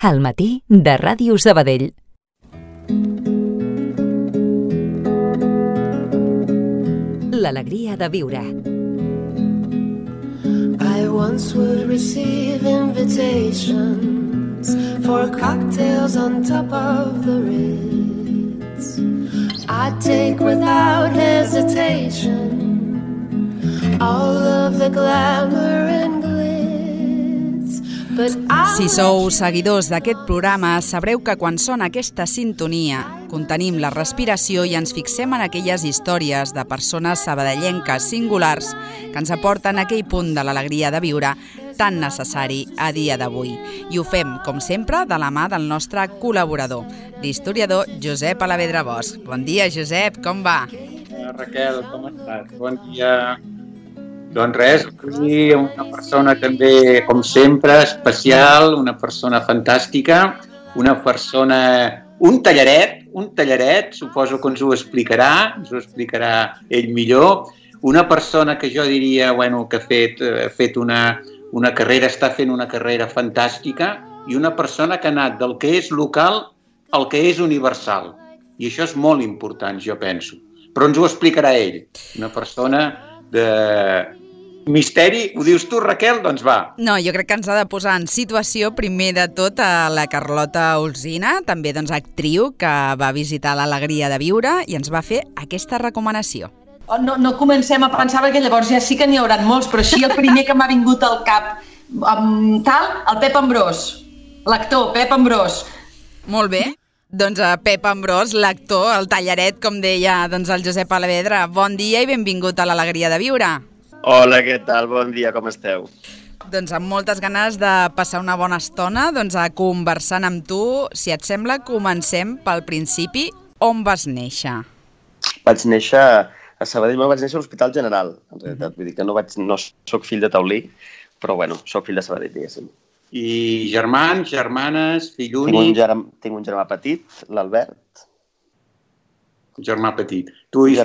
Al matí de Ràdio Sabadell. L'alegria de viure. I once would receive invitations for cocktails on top of the Ritz. I'd take without hesitation all of the glamour and glitz. Si sou seguidors d'aquest programa, sabreu que quan sona aquesta sintonia, contenim la respiració i ens fixem en aquelles històries de persones sabadellenques singulars que ens aporten aquell punt de l'alegria de viure tan necessari a dia d'avui. I ho fem, com sempre, de la mà del nostre col·laborador, l'historiador Josep Alavedra Bosch. Bon dia, Josep, com va? Raquel, com estàs? Bon dia. Doncs res, avui una persona també, com sempre, especial, una persona fantàstica, una persona... Un tallaret, suposo que ens ho explicarà ell millor. Una persona que jo diria, que ha fet una carrera, està fent una carrera fantàstica, i una persona que ha anat del que és local al que és universal. I això és molt important, jo penso. Però ens ho explicarà ell. Una persona de misteri. Ho dius tu, Raquel? Doncs va. No, jo crec que ens ha de posar en situació primer de tot a la Carlota Olsina, també actriu que va visitar l'Alegria de Viure i ens va fer aquesta recomanació. No comencem a pensar, perquè llavors ja sí que n'hi haurà molts, però així el primer que m'ha vingut al cap, el Pep Ambrós, l'actor Pep Ambrós. Molt bé. Doncs Pep Ambrós, l'actor, el tallaret, com deia el Josep Alavedra. Bon dia i benvingut a l'Alegria de Viure. Hola, què tal? Bon dia, com esteu? Doncs amb moltes ganes de passar una bona estona conversant amb tu. Si et sembla, comencem pel principi. On vas néixer? Vaig néixer a Sabadell, vaig néixer a l'Hospital General, en realitat. Vull dir que no soc fill de Taulí, però soc fill de Sabadell, diguéssim. I germans, germanes, fill únic? Tinc un germà petit, l'Albert. Un germà petit. Tu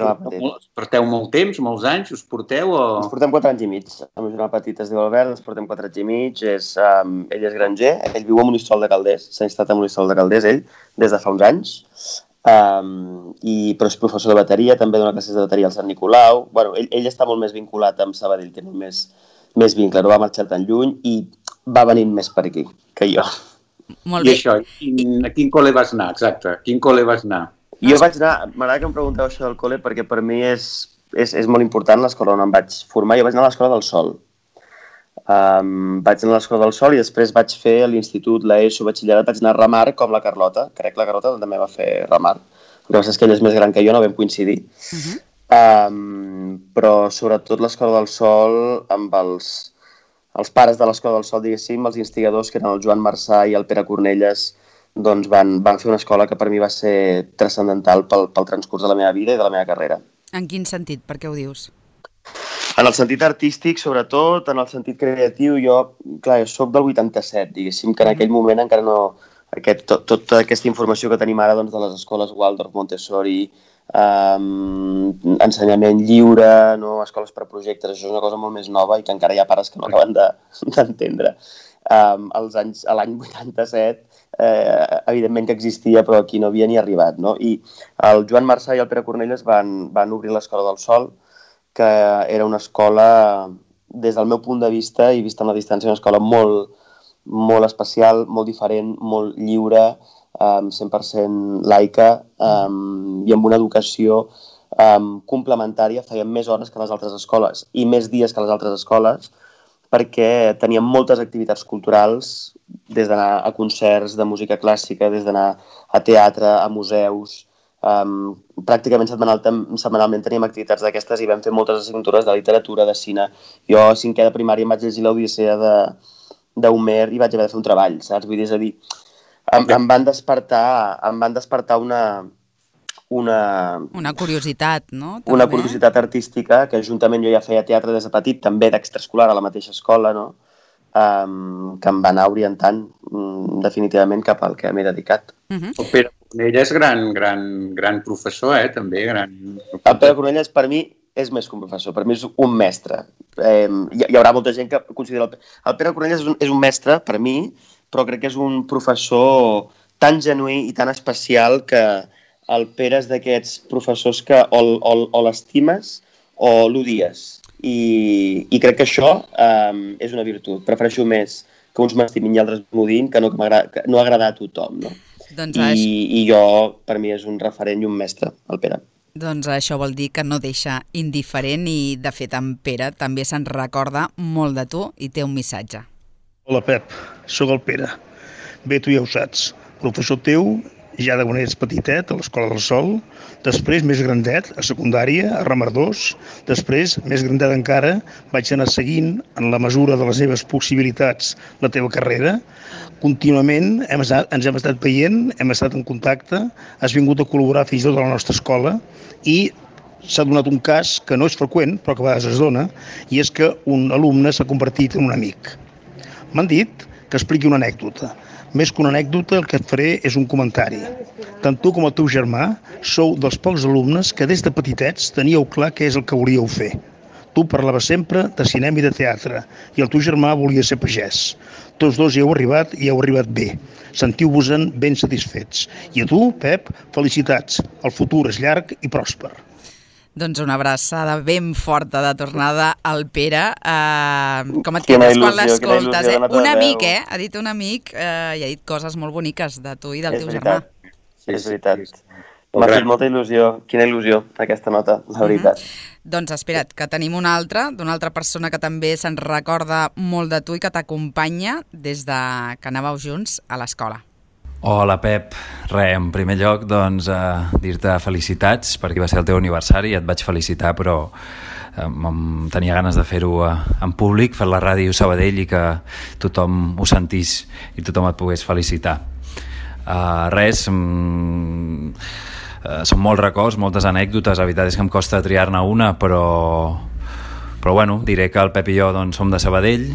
porteu molt temps, molts anys, us porteu o...? Ens portem 4 anys i mig. El meu germà petit es diu Albert, ens portem 4 anys i mig. Ell és granger, ell viu a Monistrol de Calders, s'ha instal·lat a Monistrol de Calders, ell, des de fa uns anys. Però és professor de bateria, també dona classes de bateria al Sant Nicolau. Ell està molt més vinculat amb Sabadell, té molt més vincle, no va marxar tan lluny i va venint més per aquí que jo. Molt bé. I això, a quin col·le vas anar, exacte? A quin col·le vas anar? Jo vaig anar, m'agrada que em pregunteu això del col·le perquè per mi és molt important l'escola on em vaig formar. Jo vaig anar a l'Escola del Sol. Vaig anar a l'Escola del Sol i després vaig fer l'institut, l'ESO, batxillerat, vaig anar a Remar com la Carlota. Crec que la Carlota també va fer Remar. El que passa és que ell és més gran que jo, no vam coincidir. Però sobretot l'Escola del Sol, amb els pares de l'Escola del Sol, diguéssim, els instigadors, que eren el Joan Marçà i el Pere Cornelles, doncs van fer una escola que per mi va ser transcendental pel transcurs de la meva vida i de la meva carrera. En quin sentit? Per què ho dius? En el sentit artístic, sobretot, en el sentit creatiu, jo soc del 87, diguéssim, que en aquell moment encara no... Tota aquesta informació que tenim ara de les escoles Waldorf, Montessori, ensenyament lliure, escoles per projectes, això és una cosa molt més nova i que encara hi ha pares que no acaben d'entendre. L'any 87, evidentment que existia, però aquí no havia ni arribat, no? I el Joan Marçà i el Pere Cornelles van obrir l'Escola del Sol, que era una escola, des del meu punt de vista, i vista a la distància, una escola molt, molt especial, molt diferent, molt lliure, 100% laica, i amb una educació complementària. Feien més hores que les altres escoles i més dies que les altres escoles, perquè teníem moltes activitats culturals, des d'anar a concerts de música clàssica, des d'anar a teatre, a museus. Pràcticament setmanalment teníem activitats d'aquestes i vam fer moltes assignatures de literatura, de cine. Jo a 5è de primària em vaig llegir l'Odissea d'Homer i vaig haver de fer un treball, saps? Vull dir, és a dir, em van despertar una curiositat, no? També. Una curiositat artística, que juntament jo ja feia teatre des de petit, també d'extraescolar a la mateixa escola, no? Que em va anar orientant definitivament cap al que m'he dedicat. El Pere Cornelles és gran professor, també. El Pere Cornelles per mi és més que un professor, per mi és un mestre. Hi haurà molta gent que considera... El Pere Cornelles és un mestre, per mi, però crec que és un professor tan genuí i tan especial que el Pere és d'aquests professors que o l'estimes o l'odies. I crec que això és una virtut. Prefereixo més que uns m'estimin i altres m'odin que no agradar a tothom, no? Doncs I jo, per mi, és un referent i un mestre, el Pere. Doncs això vol dir que no deixa indiferent i, de fet, en Pere també se'n recorda molt de tu i té un missatge. Hola, Pep, sóc el Pere. Bé, tu ja ho saps. Professor teu, ja de quan eres petitet, a l'Escola del Sol, després, més grandet, a secundària, a Ramardós, després, més grandet encara, vaig anar seguint, en la mesura de les meves possibilitats, la teva carrera. Contínuament ens hem estat veient, hem estat en contacte, has vingut a col·laborar fins i tot a la nostra escola i s'ha donat un cas que no és freqüent, però que a vegades es dona, i és que un alumne s'ha convertit en un amic. M'han dit que expliqui una anècdota. Més que una anècdota, el que et faré és un comentari. Tant tu com el teu germà sou dels pocs alumnes que des de petitets teníeu clar què és el que volíeu fer. Tu parlaves sempre de cinema i de teatre i el teu germà volia ser pagès. Tots dos hi heu arribat i heu arribat bé. Sentiu-vos-en ben satisfets. I a tu, Pep, felicitats. El futur és llarg i pròsper. Doncs una abraçada ben forta de tornada al Pere. Com et quedes quan l'escoltes? Un amic, ha dit un amic i ha dit coses molt boniques de tu i del teu germà. És veritat. M'ha fet molta il·lusió. Quina il·lusió, aquesta nota, la veritat. Doncs espera't, que tenim una altra, d'una altra persona que també se'n recorda molt de tu i que t'acompanya des de que anàveu junts a l'escola. Hola, Pep. En primer lloc, doncs, dir-te felicitats, perquè va ser el teu aniversari i et vaig felicitar, però tenia ganes de fer-ho en públic, fer la ràdio Sabadell i que tothom ho sentís i tothom et pogués felicitar. Són molts records, moltes anècdotes, la veritat és que em costa triar-ne una, però bueno, diré que el Pep i jo doncs, som de Sabadell,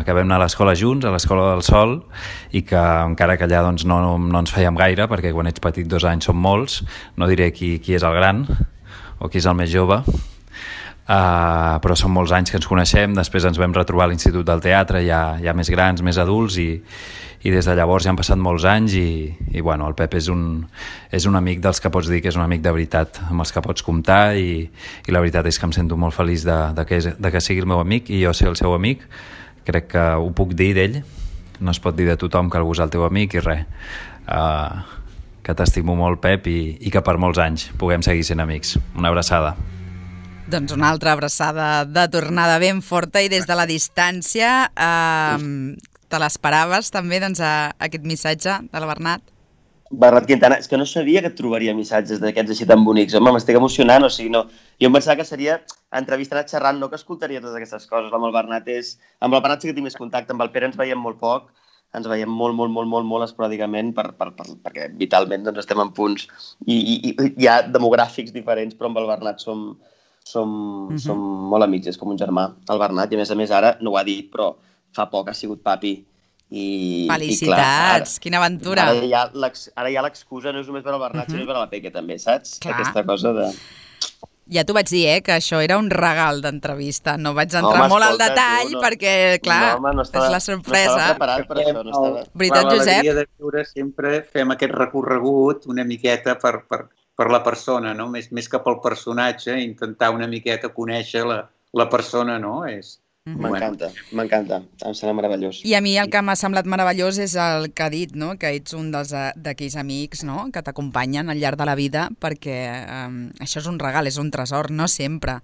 que vam anar a l'escola junts, a l'Escola del Sol, i que encara que allà doncs, no ens fèiem gaire, perquè quan ets petit 2 anys són molts, no diré qui és el gran o qui és el més jove, però són molts anys que ens coneixem. Després ens vam retrobar a l'Institut del Teatre, ja més grans, més adults, i des de llavors ja han passat molts anys i bueno, el Pep és un amic dels que pots dir que és un amic de veritat, amb els que pots comptar, i la veritat és que em sento molt feliç de que sigui el meu amic i jo ser el seu amic. Crec que ho puc dir d'ell, no es pot dir de tothom que algú és el teu amic i res, que t'estimo molt, Pep, i que per molts anys puguem seguir sent amics. Una abraçada. Doncs una altra abraçada de tornada ben forta i des de la distància. Te l'esperaves també, doncs, aquest missatge de la Bernat? Bernat Quintana, és que no sabia que et trobaria missatges d'aquests així tan bonics. Home, m'estic emocionant, o sigui, no. Jo em pensava que seria entrevistant, xerrant, no que escoltaria totes aquestes coses. Amb el Bernat amb el Bernat sí que tinc més contacte, amb el Pere ens veiem molt poc, ens veiem molt esporàdicament perquè vitalment doncs, estem en punts i hi ha demogràfics diferents, però amb el Bernat som molt amics, és com un germà, el Bernat, i a més ara no ho ha dit, però fa poc ha sigut papi. Felicitats, i clar, quina aventura. Ara ja l'excusa no és només per al Bernat, sinó per a la Peque també, saps? Clar. Aquesta cosa de... Ja t'ho vaig dir, que això era un regal d'entrevista. No vaig entrar molt al detall perquè, clar, és la sorpresa. No estava preparat per això. Veritat, Josep? L'alegria de viure sempre fem aquest recorregut una miqueta per la persona, no? Més que pel personatge, intentar una miqueta conèixer la persona, no? M'encanta, em sembla meravellós. I a mi el que m'ha semblat meravellós és el que ha dit, no? Que ets un d'aquells amics, no? Que t'acompanyen al llarg de la vida, perquè això és un regal, és un tresor. No sempre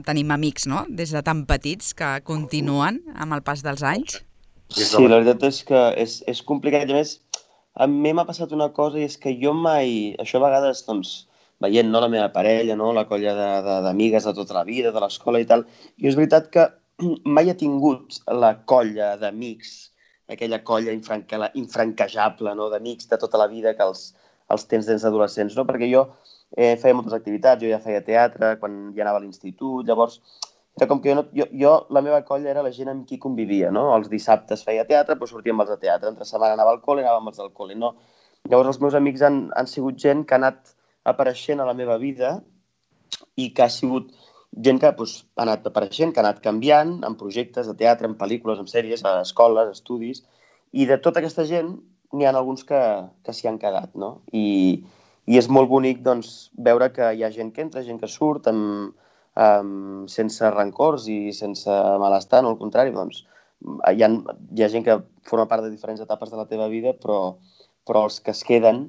tenim amics, no? Des de tan petits que continuen amb el pas dels anys. Sí, la veritat és que és complicat. I a més, a mi m'ha passat una cosa, i és que jo mai... Això a vegades, doncs, veient la meva parella, la colla d'amigues de tota la vida, de l'escola i tal, i és veritat que mai he tingut la colla d'amics, aquella colla infranquejable, d'amics de tota la vida que els tens des d'adolescents, perquè jo feia moltes activitats, jo ja feia teatre quan ja anava a l'institut, llavors era com que la meva colla era la gent amb qui convivia, no? Els dissabtes feia teatre, però sortia amb els de teatre, entre setmana anava al col·le i anava amb els del col·le, no? Llavors els meus amics han sigut gent que ha anat apareixent a la meva vida i que ha sigut gent que ha anat apareixent, que ha anat canviant en projectes de teatre, en pel·lícules, en sèries, a escoles, estudis, I de tota aquesta gent n'hi ha alguns que s'hi han quedat, no? I és molt bonic doncs, veure que hi ha gent que entra, gent que surt, sense rancors i sense malestar, no? Al contrari, doncs, hi ha gent que forma part de diferents etapes de la teva vida, però els que es queden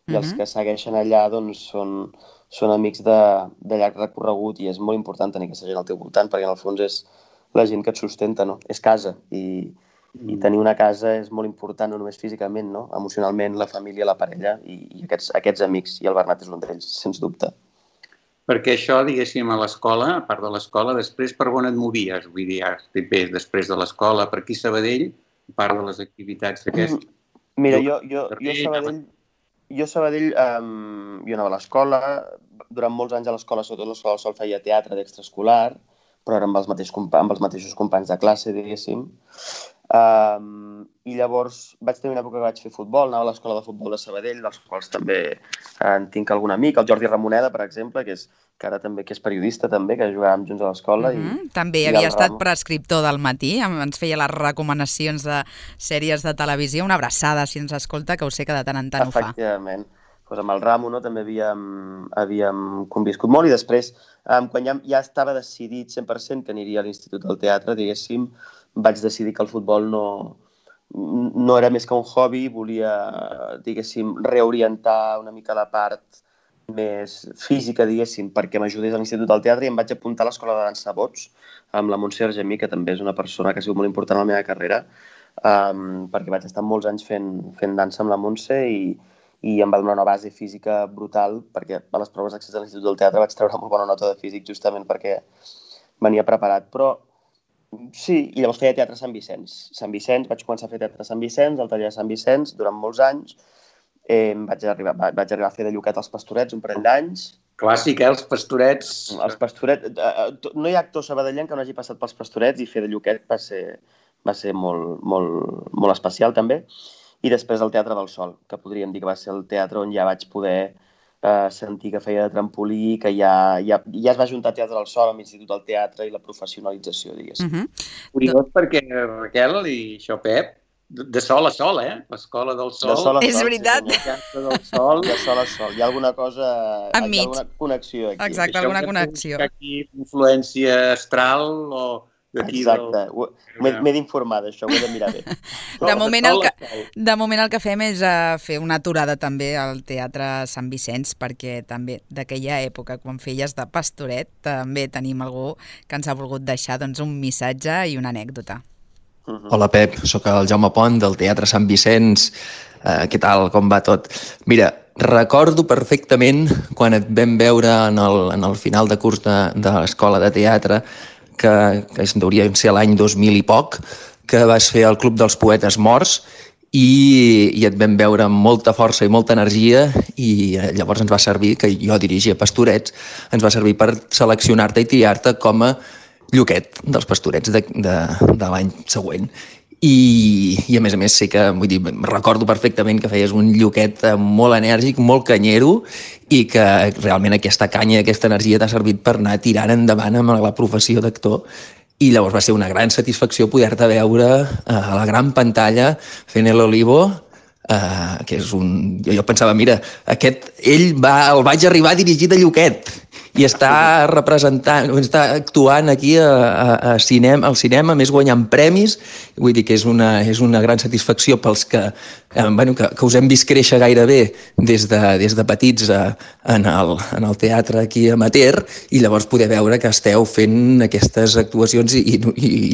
i els que segueixen allà doncs, són amics de llarg recorregut i és molt important tenir aquesta gent al teu voltant perquè en el fons és la gent que et sustenta, no? És casa i tenir una casa és molt important, no només físicament, no? Emocionalment, la família, la parella i aquests amics, i el Bernat és un d'ells, sens dubte. Perquè això, diguéssim, a l'escola, a part de l'escola, després per on et movies? Vull dir, bé, després de l'escola, per aquí a Sabadell, a part de les activitats d'aquestes? Mira, jo a Sabadell, jo anava a l'escola, durant molts anys a l'escola, sobretot a l'escola del Sol, feia teatre d'extraescolar, però era amb els mateixos companys de classe, diguéssim. I llavors vaig tenir una època que vaig fer futbol, anava a l'escola de futbol de Sabadell, dels quals també en tinc algun amic, el Jordi Ramoneda, per exemple, que és periodista també, que jugàvem junts a l'escola. També havia estat prescriptor del Matí, ens feia les recomanacions de sèries de televisió, una abraçada si ens escolta, que ho sé que de tant en tant ho fa. Efectivament. Pues amb el Ramo, no, també havíem conviscut molt i després, quan ja estava decidit 100% que aniria a l'Institut del Teatre, diguéssim, vaig decidir que el futbol no era més que un hobby, volia, diguéssim, reorientar una mica la part més física, diguéssim, perquè m'ajudés a l'Institut del Teatre i em vaig apuntar a l'Escola de Dansa Bots amb la Montse Argemí, que també és una persona que ha sigut molt important a la meva carrera, perquè vaig estar molts anys fent dansa amb la Montse i em va donar una base física brutal, perquè a les proves d'accés a l'Institut del Teatre vaig treure molt bona nota de físic justament perquè venia preparat. Però sí, i llavors feia teatre a Sant Vicenç. Vaig començar a fer teatre a Sant Vicenç, al taller de Sant Vicenç, durant molts anys. Vaig arribar a fer de Lluquet als Pastorets un parell d'anys. Clàssic, els Pastorets. Els Pastorets. No hi ha actor sabadellenc que no hagi passat pels Pastorets i fer de Lluquet va ser molt especial també. I després el Teatre del Sol, que podríem dir que va ser el teatre on ja vaig poder sentir que feia de trampolí, que ja es va juntar Teatre del Sol amb l'Institut del Teatre i la professionalització, diguéssim. Curiós perquè, Raquel i això, Pep, de sol a sol, l'escola del Sol. De sol a sol. És veritat. El teatre del Sol. De sol a sol. Hi ha alguna cosa... Hi ha alguna connexió aquí. Exacte, alguna connexió. Aquí influència astral o... Exacte, m'he d'informar d'això, ho he de mirar bé. De moment el que fem és fer una aturada també al Teatre Sant Vicenç, perquè també d'aquella època, quan feies de pastoret, també tenim algú que ens ha volgut deixar doncs, un missatge i una anècdota. Hola Pep, sóc el Jaume Pont del Teatre Sant Vicenç. Què tal, com va tot? Mira, recordo perfectament quan et vam veure en el final de curs de l'escola de teatre, que hauria de ser l'any 2000 i poc, que vas fer el Club dels Poetes Morts i et vam veure amb molta força i molta energia i llavors ens va servir, que jo dirigia Pastorets, ens va servir per seleccionar-te i triar-te com a Lluquet dels Pastorets de l'any següent. I a més sí que, vull dir, recordo perfectament que feies un Lluquet molt enèrgic, molt canyero i que realment aquesta canya, aquesta energia t'ha servit per anar tirant endavant amb la professió d'actor i llavors va ser una gran satisfacció poder-te veure a la gran pantalla fent El Olivo, que és un... Jo pensava, mira, el vaig arribar a dirigir de Lluquet i està representant, està actuant aquí al cinema, més guanyant premis. Vull dir que és una gran satisfacció pels que us hem vist créixer gairebé des de petits en el teatre aquí amateur i llavors poder veure que esteu fent aquestes actuacions i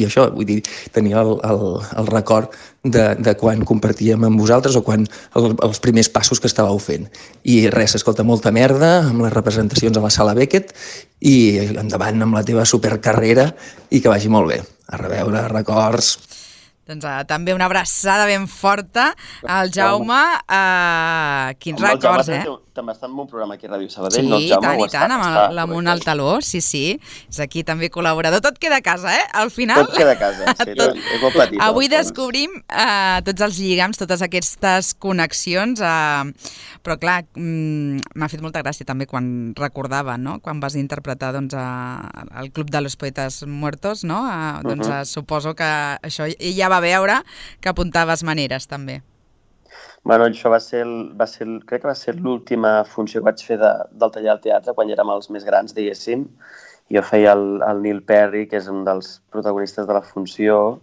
això, vull dir, tenir el record de quan compartíem amb vosaltres o quan els primers passos que estàveu fent. I res, escolta, molta merda amb les representacions a la Sala Beckett i endavant amb la teva supercarrera i que vagi molt bé. A reveure, records... Doncs també una abraçada ben forta al Jaume. Quins records, També està en un programa aquí a Ràdio Sabadell. Sí, i tant, amb l'Amunt al Taló, sí. És aquí també col·laborador. Tot queda a casa, Al final... Tot queda a casa, sí, és molt petit. Avui descobrim tots els lligams, totes aquestes connexions, però clar, m'ha fet molta gràcia també quan recordava, no?, quan vas interpretar el Club de los Poetes Muertos, no? Doncs suposo que això ja va anava a veure, que apuntaves maneres, també. Bueno, això crec que va ser l'última funció que vaig fer del taller al teatre, quan érem els més grans, diguéssim. Jo feia el Neil Perry, que és un dels protagonistes de la funció,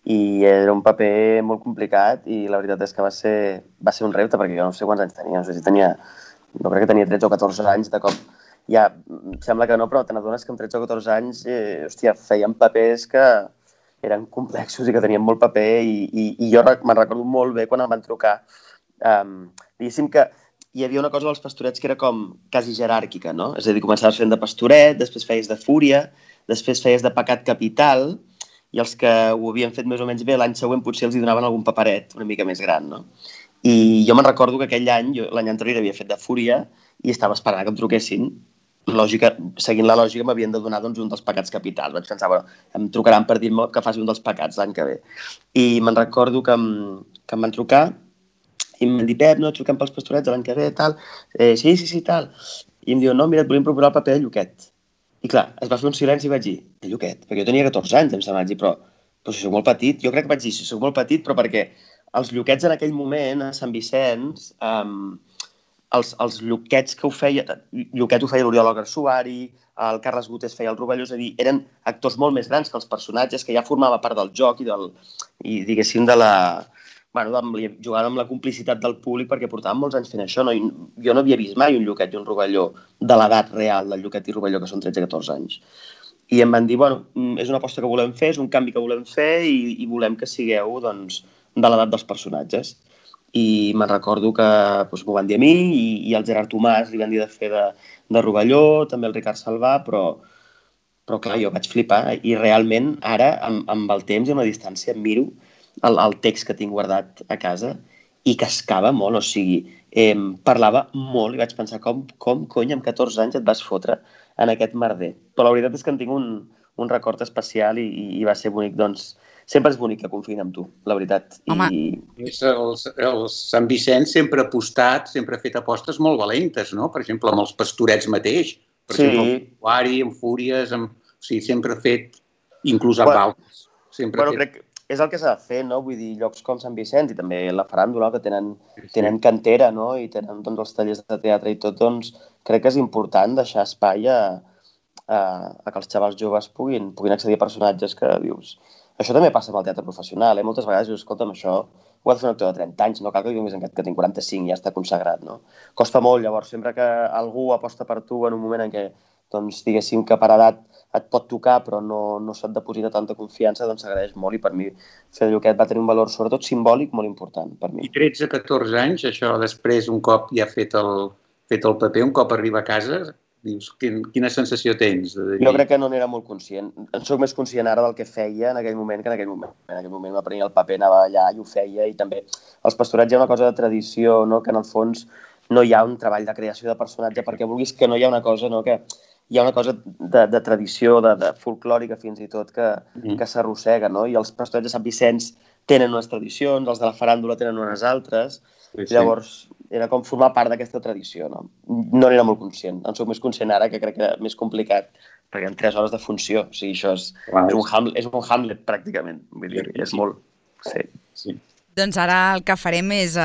i era un paper molt complicat i la veritat és que va ser un repte, perquè jo no sé quants anys tenia, no sé si no crec que tenia 13 o 14 anys, de cop ja, sembla que no, però te n'adones que amb 13 o 14 anys, feien papers que eren complexos i que tenien molt paper i jo me'n recordo molt bé quan em van trucar. Diguéssim que hi havia una cosa dels pastorets que era com quasi jeràrquica, no? És a dir, començaves fent de pastoret, després feies de fúria, després feies de pecat capital, i els que ho havien fet més o menys bé l'any següent potser els hi donaven algun paperet una mica més gran, no? I jo me'n recordo que aquell any, l'any anterior havia fet de fúria i estava esperant que em truquessin. Seguint la lògica m'havien de donar un dels pecats capitals. Vaig pensar, em trucaran per dir-me que faci un dels pecats l'any que ve. I me'n recordo que em van trucar i em van dir, Pep, no, truquem pels pastorets l'any que ve, tal. Sí, tal. I em diuen, no, mira, et volíem proposar el paper de Lluquet. I clar, es va fer un silenci i vaig dir, Lluquet, perquè jo tenia 14 anys, em sembla, vaig dir, però si soc molt petit, jo crec que vaig dir, si soc molt petit, però perquè els Lluquets en aquell moment, a Sant Vicenç, els Lluquets que ho feia, Lluquet ho feia l'Oriol Garsuari, el Carles Gutés feia el Rovelló, és a dir, eren actors molt més grans que els personatges, que ja formava part del joc i diguéssim, jugaven amb la complicitat del públic perquè portaven molts anys fent això. No? Jo no havia vist mai un Lluquet i un Rovelló de l'edat real del Lluquet i Rovelló, que són 13-14 anys. I em van dir, és una aposta que volem fer, és un canvi que volem fer i volem que sigueu de l'edat dels personatges. I me'n recordo que m'ho van dir a mi i el Gerard Tomàs li van dir de fer de Rovelló, també el Ricard Salvà, però clar, jo vaig flipar i realment ara, amb el temps i amb la distància, em miro el text que tinc guardat a casa i cascava molt, o sigui, parlava molt i vaig pensar com cony amb 14 anys et vas fotre en aquest merder. Però la veritat és que en tinc un record especial i va ser bonic, doncs sempre és bonic que confiïn en tu, la veritat. Home. El Sant Vicenç sempre ha apostat, sempre ha fet apostes molt valentes, no? Per exemple, amb els pastorets mateix. Per exemple, amb Guari, amb Fúries, o sigui, sempre ha fet, inclús amb altres. Crec que és el que s'ha de fer, no? Vull dir, llocs com Sant Vicenç i també la Faràndula, que tenen cantera, no? I tenen els tallers de teatre i tot, doncs crec que és important deixar espai a que els xavals joves puguin accedir a personatges que dius... Això també passa amb el teatre professional, Moltes vegades dius, escolta'm, això ho ha de fer un actor de 30 anys, no cal que vinguis que tinc 45 i ja està consagrat, no? Costa molt, llavors, sempre que algú aposta per tu en un moment en què, doncs, diguéssim que per edat et pot tocar però no se't deposita tanta confiança, doncs s'agraeix molt i per mi fer de Lluquet va tenir un valor sobretot simbòlic molt important per mi. I 13-14 anys, això després un cop ja fet el paper, un cop arriba a casa, dius, quina sensació tens? Jo crec que no n'era molt conscient. En soc més conscient ara del que feia en aquell moment que en aquell moment. En aquell moment m'aprenia el paper, anava allà i ho feia i també els pastorets hi ha una cosa de tradició, no? Que en el fons no hi ha un treball de creació de personatge perquè vulguis que no hi ha una cosa, no? Que hi ha una cosa de tradició, de folclòrica fins i tot, que s'arrossega, no? I els pastorets de Sant Vicenç tenen unes tradicions, els de la Faràndula tenen unes altres, llavors era com formar part d'aquesta tradició, no? No n'era molt conscient, en soc més conscient ara, que crec que era més complicat, perquè en 3 hores de funció, o sigui, això és un Hamlet pràcticament, vull dir, és molt... Sí. Doncs ara el que farem és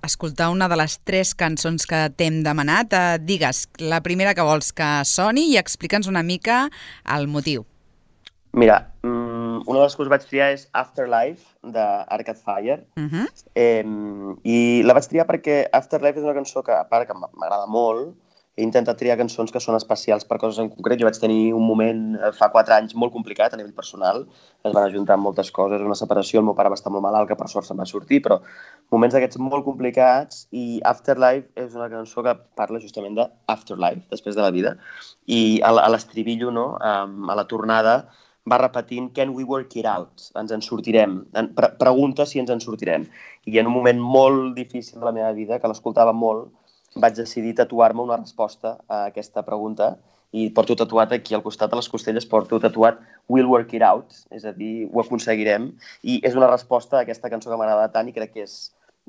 escoltar una de les 3 cançons que t'hem demanat. Digues la primera que vols que soni i explica'ns una mica el motiu. Mira, una de les que us vaig triar és Afterlife, d'Arcade Fire. I la vaig triar perquè Afterlife és una cançó que, a part que m'agrada molt, he intentat triar cançons que són especials per coses en concret. Jo vaig tenir un moment fa 4 anys molt complicat a nivell personal. Es van ajuntar moltes coses, una separació, el meu pare va estar molt malalt, que per sort se'n va sortir, però moments d'aquests molt complicats, i Afterlife és una cançó que parla justament d'Afterlife, després de la vida, i a l'estribillo, no? A la tornada, va repetint Can we work it out? Ens en sortirem. Pregunta si ens en sortirem. I en un moment molt difícil de la meva vida, que l'escoltava molt, vaig decidir tatuar-me una resposta a aquesta pregunta i porto tatuat aquí al costat de les costelles, porto tatuat We'll work it out, és a dir, ho aconseguirem, i és una resposta a aquesta cançó que m'agrada tant i crec que és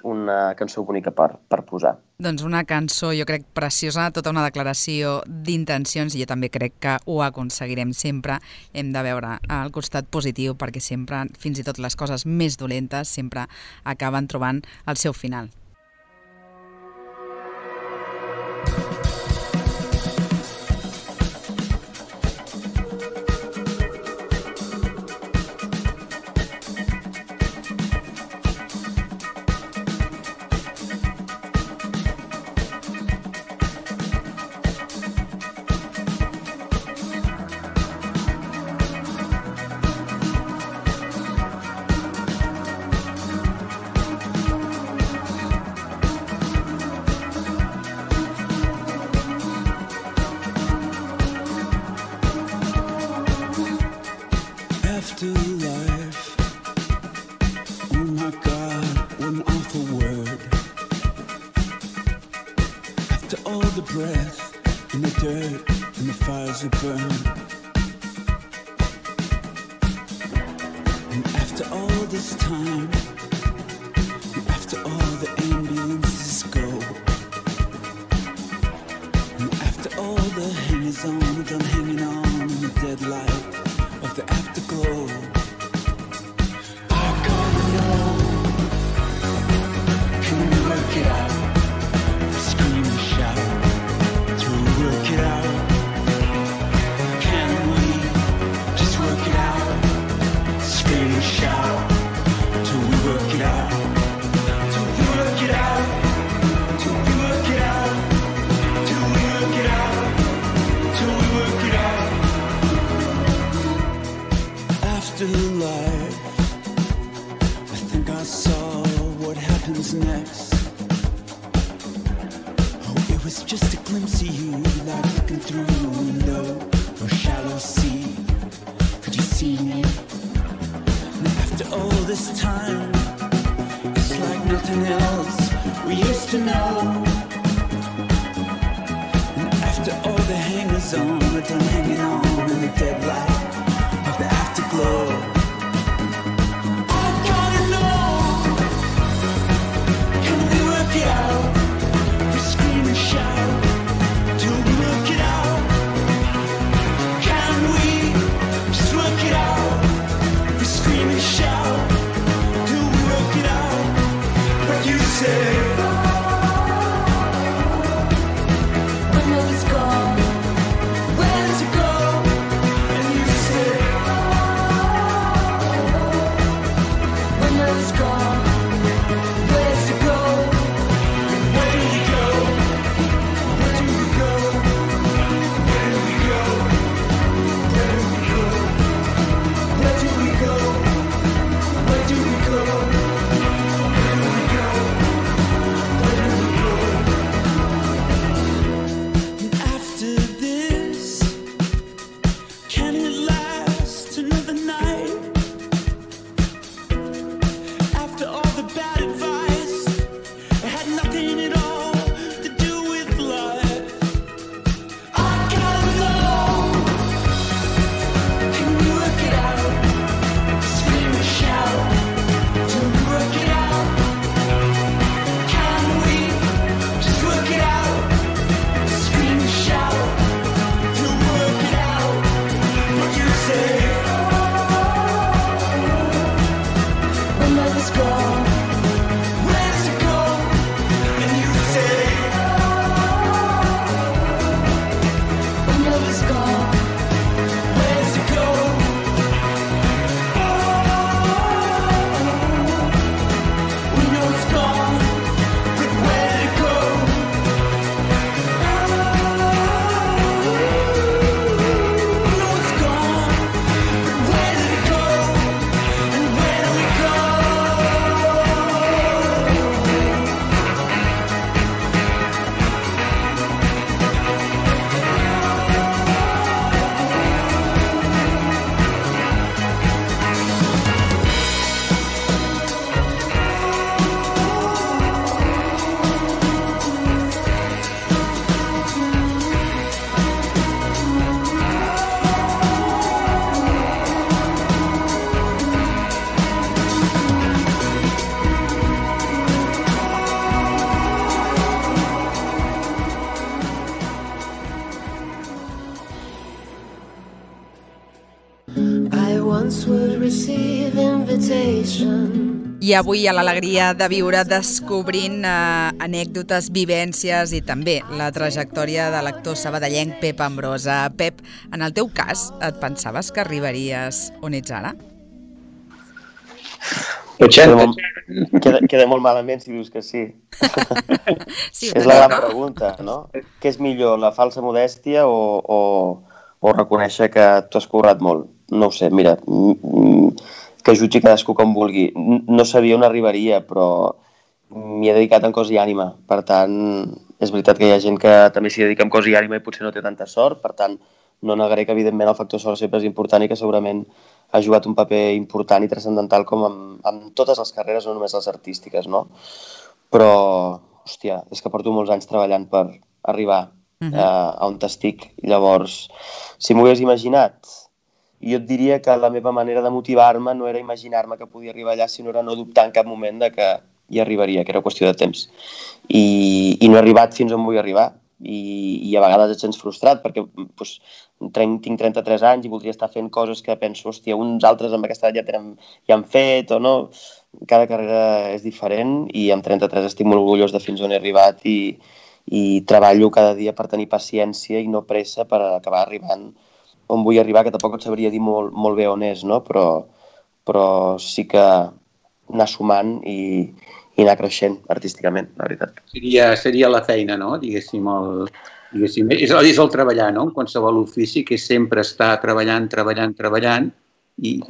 una cançó bonica per posar. Doncs una cançó, jo crec, preciosa, tota una declaració d'intencions, i jo també crec que ho aconseguirem sempre. Hem de veure el costat positiu, perquè sempre, fins i tot les coses més dolentes, sempre acaben trobant el seu final. Afterlife, oh my God, what an awful word. After all the breath and the dirt and the fires that burn, and after all this time, and after all the ambulances go, and after all the hangers-on done hanging on in the dead light of the afterglow, I gotta know, can we work it out? Scream and shout, till we work it out. Can we just work it out? Scream and shout, till we work it out. Till we work it out. Till we work it out. Till we work it out. Till we work it out. Afterlife, I think I saw what happens next. Oh, it was just a glimpse of you, like looking through a window or shallow sea. Could you see me? And after all this time, it's like nothing else we used to know. And after all the hangers-on are done hanging on in the dead light of the afterglow, I gotta know, can we work it out? We scream and shout till we work it out. Can we just work it out? We scream and shout till we work it out. But you say, when will this go? Where does it go? And you say, attention. I avui a l'Alegria de Viure descobrint anècdotes, vivències i també la trajectòria de l'actor sabadellenc Pep Ambrosa. Pep, en el teu cas, et pensaves que arribaries on ets ara? Queda molt malament si dius que sí. Sí, és la gran pregunta, no? Què és millor, la falsa modèstia o reconèixer que t'ho has currat molt? No ho sé, mira, que jutgi cadascú com vulgui. No sabia on arribaria, però m'hi he dedicat en cos i ànima. Per tant, és veritat que hi ha gent que també s'hi dedica en cos i ànima i potser no té tanta sort. Per tant, no negaré que, evidentment, el factor sort sempre és important i que segurament ha jugat un paper important i transcendental com en totes les carreres, no només les artístiques, no? Però, hòstia, és que porto molts anys treballant per arribar a on estic. Llavors, si m'ho hagués imaginat, jo et diria que la meva manera de motivar-me no era imaginar-me que podia arribar allà, sinó era no dubtar en cap moment de que hi arribaria, que era qüestió de temps. I no he arribat fins on vull arribar. I a vegades et sents frustrat perquè doncs, tinc 33 anys i voldria estar fent coses que penso, hòstia, uns altres amb aquesta edat ja han fet o no. Cada carrera és diferent i amb 33 estic molt orgullós de fins on he arribat i treballo cada dia per tenir paciència i no pressa per acabar arribant on vull arribar, que tampoc et sabria dir molt bé on és, no? Però sí que anar sumant i anar creixent artísticament, la veritat. Seria la feina, no? Diguéssim, és el treballar, no? En qualsevol ofici, que és sempre estar treballant i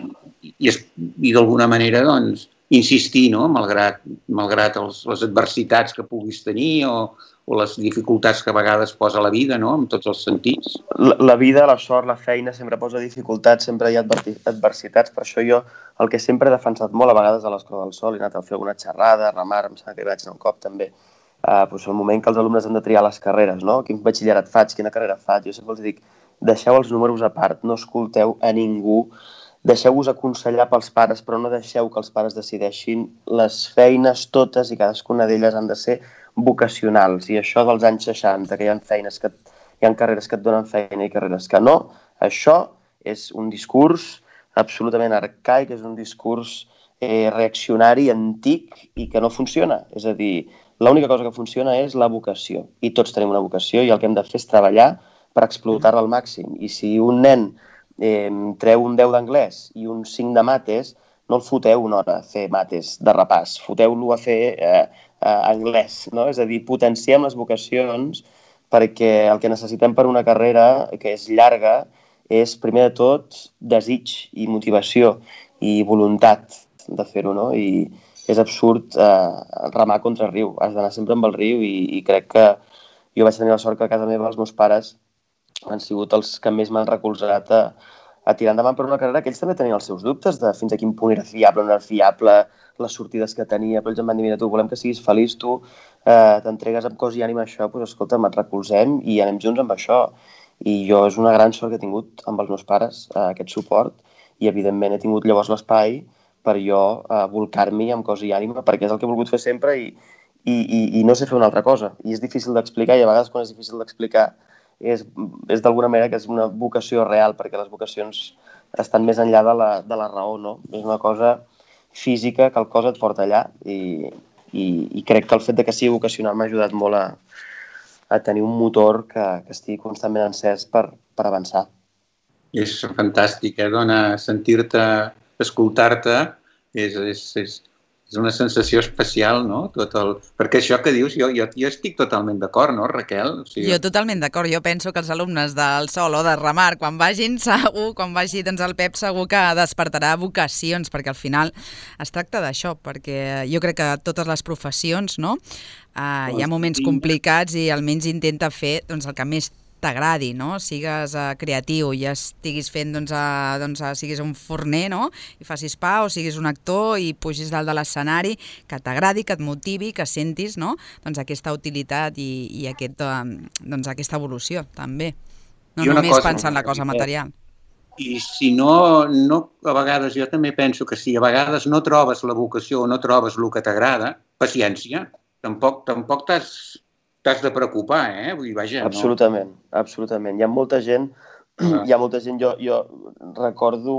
d'alguna manera, doncs, insistir, no? Malgrat les adversitats que puguis tenir o les dificultats que a vegades posa la vida, no? En tots els sentits. La vida, la sort, la feina sempre posa dificultats, sempre hi ha adversitats. Per això jo el que sempre he defensat molt, a vegades a l'Escola del Sol, he anat a fer alguna xerrada, a remar, em sembla que hi vaig anar un cop també, doncs el moment que els alumnes han de triar les carreres, no? Quin batxillerat faig, quina carrera faig, jo sempre els dic, deixeu els números a part, no escolteu a ningú, deixeu-vos aconsellar pels pares, però no deixeu que els pares decideixin. Les feines totes i cadascuna d'elles han de ser vocacionals. I això dels anys 60, que hi ha carreres que et donen feina i carreres que no, això és un discurs absolutament arcaic, és un discurs reaccionari, antic i que no funciona. És a dir, l'única cosa que funciona és la vocació. I tots tenim una vocació i el que hem de fer és treballar per explotar-la al màxim. I si un nen treu un 10 d'anglès i un 5 de mates, no el foteu una hora a fer mates de repàs, foteu-lo a fer anglès, no? És a dir, potenciem les vocacions perquè el que necessitem per una carrera que és llarga és, primer de tot, desig i motivació i voluntat de fer-ho, no? I és absurd remar contra el riu, has d'anar sempre amb el riu i crec que jo vaig tenir la sort que a casa meva els meus pares han sigut els que més m'han recolzat a tirar endavant per una carrera que ells també tenien els seus dubtes de fins a quin punt era fiable, no era fiable, les sortides que tenia, però ells em van dir, mira, tu volem que siguis feliç, tu t'entregues amb cos i ànima a això, doncs escolta'm, et recolzem i anem junts amb això. I jo és una gran sort que he tingut amb els meus pares, aquest suport, i evidentment he tingut llavors l'espai per jo volcar-m'hi amb cos i ànima, perquè és el que he volgut fer sempre i no sé fer una altra cosa. I és difícil d'explicar i a vegades quan és difícil d'explicar és d'alguna manera que és una vocació real, perquè les vocacions estan més enllà de la raó, no? És una cosa física que el cos et porta allà i crec que el fet de que sigui vocacional m'ha ajudat molt a tenir un motor que estigui constantment encès per avançar. És fantàstic, dona, sentir-te, escoltar-te, és una sensació especial, no? Perquè això que dius, jo estic totalment d'acord, no, Raquel? O sigui... Jo totalment d'acord. Jo penso que els alumnes del Sol o de Remar, quan vagin quan vagi doncs, el Pep, segur que despertarà vocacions, perquè al final es tracta d'això, perquè jo crec que totes les professions, no? Hi ha moments complicats i almenys intenta fer doncs, el que més t'agradi, no? Sigues creatiu i estiguis fent, siguis un forner, no? I facis pa, o siguis un actor i pugis dalt de l'escenari, que t'agradi, que et motivi, que sentis, no? Doncs aquesta utilitat i aquesta evolució, també. No només pensar en la cosa material. I si no, a vegades jo també penso que si a vegades no trobes la vocació o no trobes el que t'agrada, paciència. Tampoc t'has de preocupar, Vull dir, vaja, no? Absolutament. Hi ha molta gent, jo recordo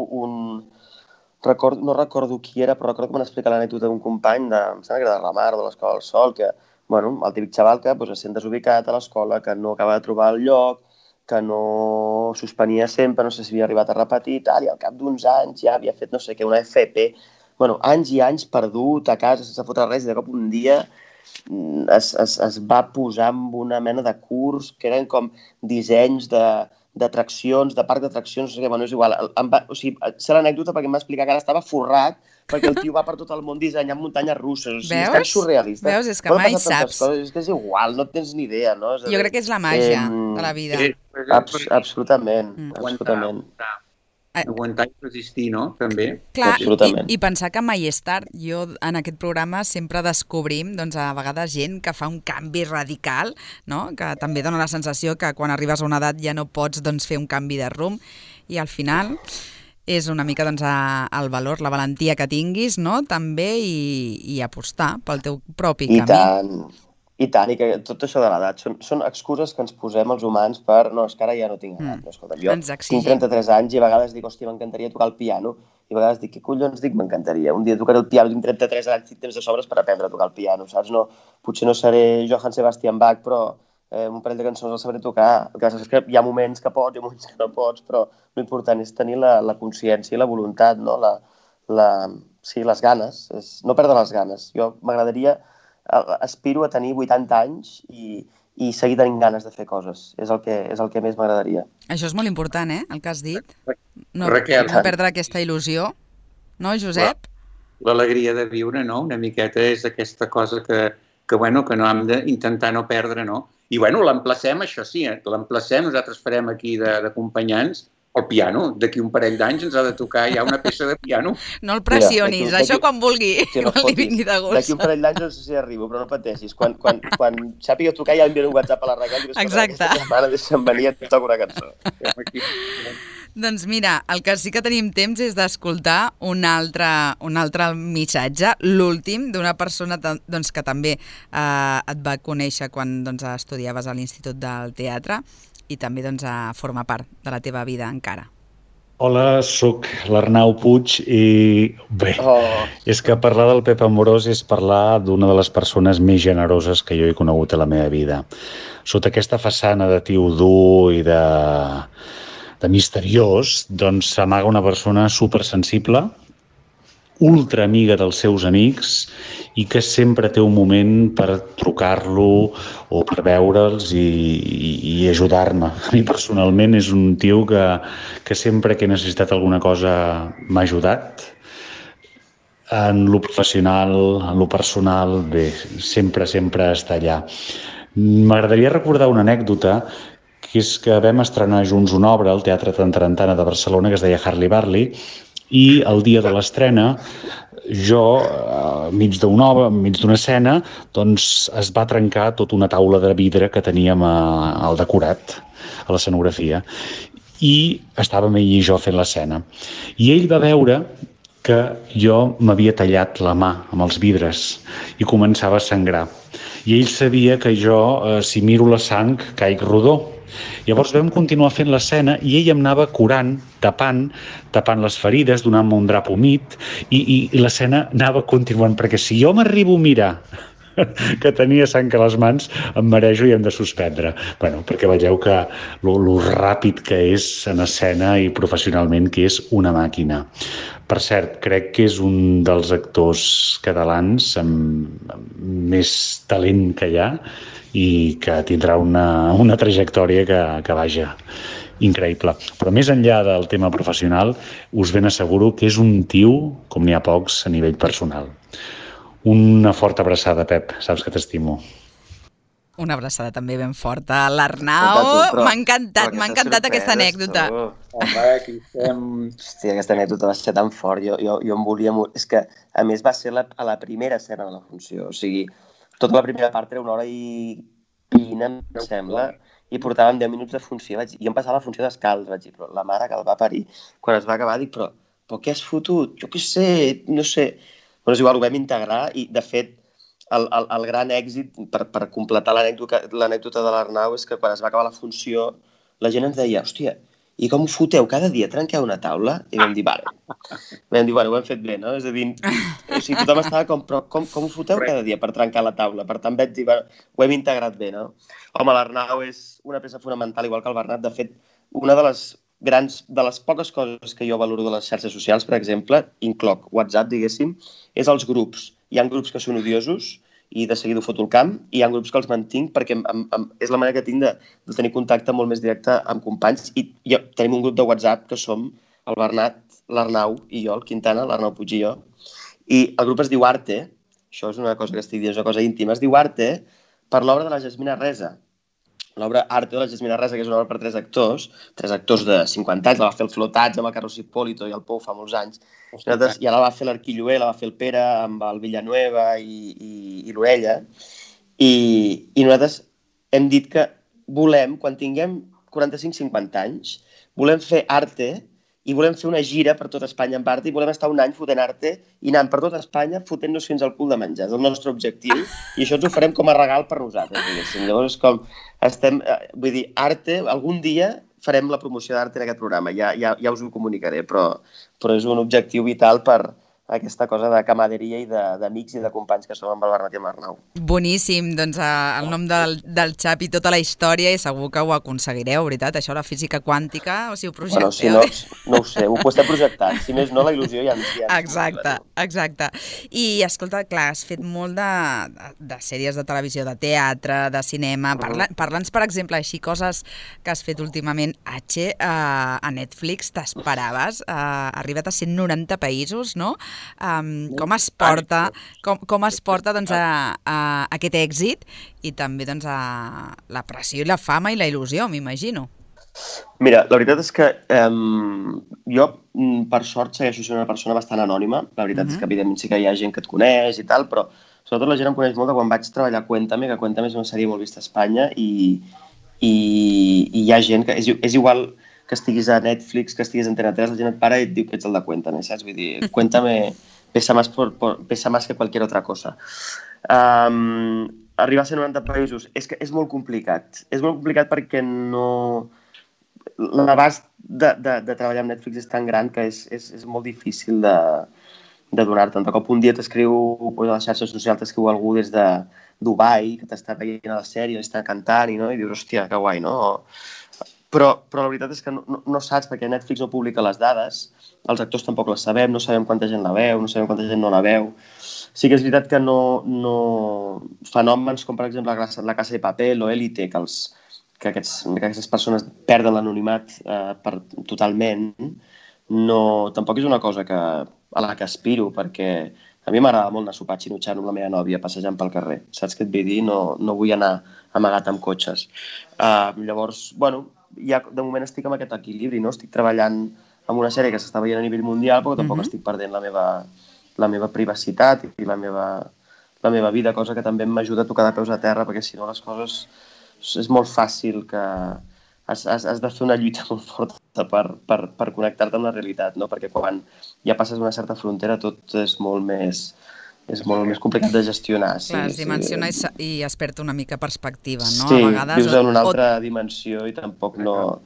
no recordo qui era, però recordo que m'han explicat l'anècdota d'un company, em sembla que era de la Mar, de l'Escola del Sol, que, bueno, el típic xaval que es sent desubicat a l'escola, que no acaba de trobar el lloc, que no suspenia sempre, no sé si havia arribat a repetir, i al cap d'uns anys ja havia fet no sé què, una FP, bueno, anys i anys perdut a casa sense fotre res, i de cop un dia es va posar amb una mena de curs que eren com dissenys d'atraccions, de parc d'atraccions, no sé què, bueno, és igual. O sigui, sé l'anècdota perquè em va explicar que ara estava forrat perquè el tio va per tot el món dissenyant muntanyes russes. O sigui, és tan surrealista. Veus? És que mai saps. És que és igual, no tens ni idea, no? Jo crec que és la màgia de la vida. Absolutament, absolutament. Aguantar i resistir, no? També. Clar, i pensar que mai és tard. Jo en aquest programa sempre descobrim doncs, a vegades gent que fa un canvi radical, no? Que també dona la sensació que quan arribes a una edat ja no pots doncs, fer un canvi de rumb i al final és una mica doncs, el valor, la valentia que tinguis, no? També i apostar pel teu propi camí. I tant, i que tot això de l'edat són excuses que ens posem els humans per no, és que ara ja no tinc edat. No, escolta, jo tinc 33 anys i a vegades dic, hòstia, m'encantaria tocar el piano, i a vegades dic, què collons dic, m'encantaria? Un dia tocaré el piano, tinc 33 anys, tinc temps de sobres per aprendre a tocar el piano, saps? No, potser no seré Johann Sebastian Bach, però un parell de cançons el sabré tocar. El que és que hi ha moments que pots i moments que no pots, però l'important és tenir la consciència i la voluntat, no? Sí, les ganes, no perdre les ganes. Jo m'agradaria... aspiro a tenir 80 anys i seguir tenint ganes de fer coses. És el que més m'agradaria. Això és molt important, el que has dit. No perdre aquesta il·lusió. No, Josep? L'alegria de viure, no? Una miqueta és aquesta cosa que no hem d'intentar no perdre, no? I, l'emplacem, això sí, l'emplacem, nosaltres farem aquí d'acompanyants el piano. D'aquí un parell d'anys ens ha de tocar ja una peça de piano. No el pressionis, això quan vulgui, quan li vingui de gust. D'aquí un parell d'anys no sé si arribo, però no pateixis. Quan sàpiga tocar ja enviaré un WhatsApp a la Raquel. Exacte. Aquesta setmana deixa'm venir i et toco una cançó. Doncs mira, el que sí que tenim temps és d'escoltar un altre missatge, l'últim, d'una persona que també et va conèixer quan estudiaves a l'Institut del Teatre i també forma part de la teva vida encara. Hola, sóc l'Arnau Puig i bé, és que parlar del Pep Amorós és parlar d'una de les persones més generoses que jo he conegut a la meva vida. Sota aquesta façana de tio dur i de misteriós, doncs s'amaga una persona supersensible, ultra amiga dels seus amics i que sempre té un moment per trucar-lo o per veure'ls i ajudar-me. A mi personalment és un tio que sempre que he necessitat alguna cosa m'ha ajudat. En lo professional, en lo personal, bé, sempre està allà. M'agradaria recordar una anècdota que és que vam estrenar junts una obra al Teatre Tarantana de Barcelona que es deia Harley Barley i el dia de l'estrena jo, enmig d'una escena, doncs es va trencar tota una taula de vidre que teníem al decorat, a l'escenografia, i estàvem ell i jo fent l'escena. I ell va veure que jo m'havia tallat la mà amb els vidres i començava a sangrar. I ell sabia que jo, si miro la sang, caic rodó. Llavors vam continuar fent l'escena i ell em anava curant, tapant les ferides, donant-me un drap humit i l'escena anava continuant, perquè si jo m'arribo a mirar que tenia sang a les mans, em marejo i hem de suspendre. Bueno, perquè veieu que lo ràpid que és en escena i professionalment que és una màquina. Per cert, crec que és un dels actors catalans amb més talent que hi ha i que tindrà una trajectòria que vaja, increïble. Però més enllà del tema professional, us ben asseguro que és un tio com n'hi ha pocs a nivell personal. Una forta abraçada, Pep, saps que t'estimo. Una abraçada també ben forta a l'Arnau. M'ha encantat aquesta anècdota. Home, aquí estem... Hòstia, aquesta anècdota va ser tan fort. Jo em volia... És que, a més, va ser a la primera escena de la funció. O sigui, tota la primera part era 1 hora i 20, em sembla, i portàvem 10 minuts de funció. Jo em passava la funció descalç, vaig dir, però la mare que el va parir. Quan es va acabar, dic, però què has fotut? Jo què sé, no sé... Però és igual, ho vam integrar i, de fet, el gran èxit, per completar l'anècdota de l'Arnau, és que quan es va acabar la funció, la gent ens deia, hòstia, i com ho foteu? Cada dia trenqueu una taula? I vam dir, vale. Vam dir, bueno, ho hem fet bé, no? És a dir, o sigui, tothom estava com, però com ho foteu cada dia per trencar la taula? Per tant, vaig dir, bueno, ho hem integrat bé, no? Home, l'Arnau és una peça fonamental, igual que el Bernat. De fet, una de les poques coses que jo valoro de les xarxes socials, per exemple, incloc WhatsApp, diguéssim, és els grups. Hi ha grups que són odiosos, i de seguida ho foto al camp, i hi ha grups que els mantinc perquè és la manera que tinc de tenir contacte molt més directe amb companys, i tenim un grup de WhatsApp que som el Bernat, l'Arnau i jo, el Quintana, l'Arnau Puig i jo, i el grup es diu Arte, això és una cosa que estic dient, és una cosa íntima, es diu Arte per l'obra de la Jasmina Resa. L'obra Arte de la Jasmina Resa, que és una obra per 3 actors de 50 anys, la va fer el Flotats amb el Carlos Hipólito i el Pou fa molts anys, i ara la va fer l'Arquilloé, la va fer el Pere amb el Villanueva i l'Orella, i nosaltres hem dit que volem, quan tinguem 45-50 anys, volem fer Arte i volem fer una gira per tot Espanya amb Arte i volem estar un any fotent Arte i anant per tot Espanya fotent-nos fins al cul de menjar. És el nostre objectiu i això ens ho farem com a regal per nosaltres, diguéssim. Llavors, com estem... Vull dir, Arte, algun dia farem la promoció d'Arte en aquest programa, ja us ho comunicaré, però és un objectiu vital per aquesta cosa de camaderia i d'amics i de companys que som amb el Bernat i amb l'Arnau. Boníssim, doncs el nom del xap i tota la història, i segur que ho aconseguireu, veritat, això, la física quàntica, o si ho projecteu... Bueno, si no ho sé, ho estem projectant, si més no la il·lusió ja ens... Exacte. I escolta, clar, has fet molt de sèries de televisió, de teatre, de cinema, parla'ns, per exemple, així, coses que has fet últimament, a Netflix, t'esperaves, ha arribat a 190 països, no? Com es porta doncs, a aquest èxit i també doncs, a la pressió i la fama i la il·lusió, m'imagino. Mira, la veritat és que jo, per sort, segueixo sent una persona bastant anònima. La veritat és que, evidentment, sí que hi ha gent que et coneix i tal, però sobretot la gent em coneix molt de quan vaig treballar a Cuéntame, que Cuéntame és una sèrie molt vista a Espanya i hi ha gent que... És igual que estiguis a Netflix, que estiguis a Antena 3, la gent et para i et diu que ets el de Cuéntame, saps? Vull dir, Cuéntame pesa más que cualquier otra cosa. Arribar a 190 països és molt complicat. És molt complicat perquè no... L'abast de treballar amb Netflix és tan gran que és molt difícil de donar-te'n. De cop un dia t'escriu a les xarxes socials, t'escriu algú des de Dubai, que t'està veient a la sèrie, està cantant i dius, hòstia, que guai, no? Però la veritat és que no saps, perquè Netflix no publica les dades, els actors tampoc les sabem, no sabem quanta gent la veu, no sabem quanta gent no la veu. Sí que és veritat que no... Fenòmens com, per exemple, La Casa de Papel o Élite, que aquestes persones perden l'anonimat totalment, tampoc és una cosa a la que aspiro, perquè a mi m'agrada molt anar a sopar xinutxant amb la meva nòvia passejant pel carrer. Saps què et vull dir? No vull anar amagat amb cotxes. Llavors, bueno, ja de moment estic amb aquest equilibri, no? Estic treballant en una sèrie que s'està veient a nivell mundial, però tampoc estic perdent la meva privacitat i la meva vida, cosa que també m'ajuda a tocar de peus a terra, perquè si no les coses és molt fàcil que has de fer una lluita molt forta per connectar-te amb la realitat, no? Perquè quan ja passes una certa frontera tot és molt més complicat de gestionar. Clar, es dimensiona i es perd una mica perspectiva, no? Sí, vius en una altra dimensió i tampoc no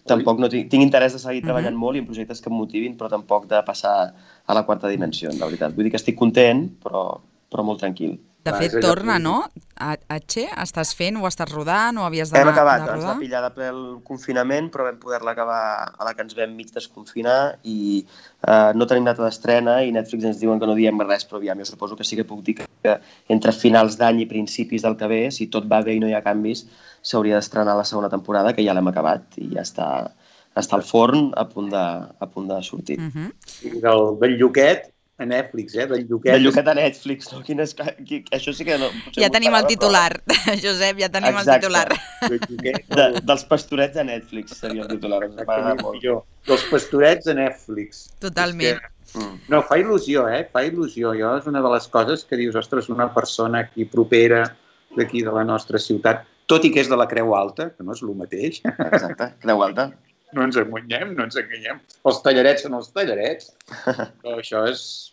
tinc interès de seguir treballant molt i en projectes que em motivin, però tampoc de passar a la quarta dimensió, la veritat. Vull dir que estic content, però molt tranquil. De fet, torna, no? Estàs fent, o estàs rodant, o havies d'anar de rodar? Hem acabat, ens va pillar de ple el confinament, però vam poder-la acabar a la que ens vam mig desconfinar i no tenim data d'estrena i Netflix ens diuen que no diem res, però aviam, jo suposo que sí que puc dir que entre finals d'any i principis del que ve, si tot va bé i no hi ha canvis, s'hauria d'estrenar la segona temporada, que ja l'hem acabat i ja està al forn a punt de sortir. I del Lluquet a Netflix, del Lluquet. Del Lluquet a Netflix, no? Això sí que no... Ja tenim el titular, Josep, ja tenim el titular. Dels pastorets a Netflix seria el titular. Dels pastorets a Netflix. Totalment. No, fa il·lusió, fa il·lusió. Jo és una de les coses que dius, ostres, una persona aquí propera d'aquí de la nostra ciutat, tot i que és de la Creu Alta, que no és el mateix. Exacte, Creu Alta. No ens enganyem. Els tallarets són els tallarets. Però això és,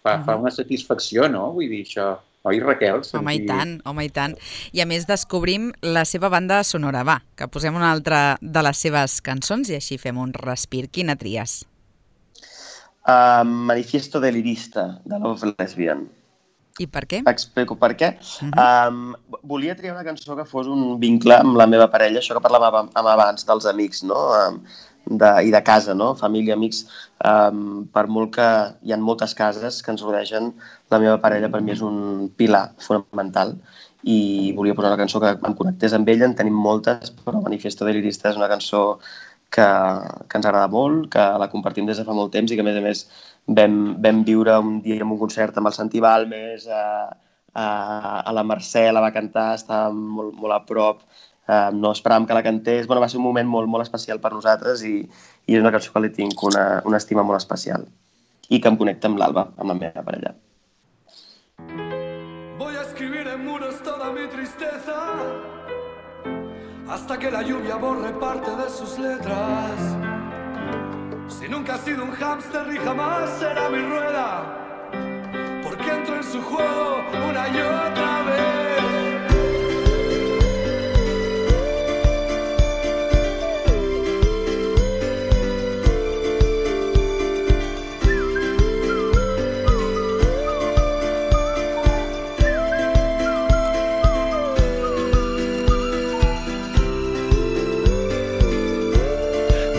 fa una satisfacció, no? Vull dir, això, Oi, Raquel? Home, i tant. I a més descobrim la seva banda sonora. Va, que posem una altra de les seves cançons i així fem un respir. Quina tries? Manifiesto delirista, de Love Lesbian. I per què? Explico per què. Volia triar una cançó que fos un vincle amb la meva parella, això que parlàvem abans dels amics, no? I de casa, no? Família, amics. Per molt que hi ha moltes cases que ens rodegen, la meva parella per mi és un pilar fonamental i volia posar una cançó que em connectés amb ella. En tenim moltes, però Manifiesto delirista és una cançó que ens agrada molt, que la compartim des de fa molt temps i que, a més, vam viure un dia en un concert amb el Santi Balmes, a la Mercè la va cantar, estava molt a prop, no esperàvem que la cantés. Va ser un moment molt especial per nosaltres i és una cançó que li tinc una estima molt especial i que em connecta amb l'Alba, amb la meva parella. Voy a escribir en muros toda mi tristeza hasta que la lluvia borre parte de sus letras. Si nunca has sido un hámster y jamás será mi rueda, porque entro en su juego una y otra vez.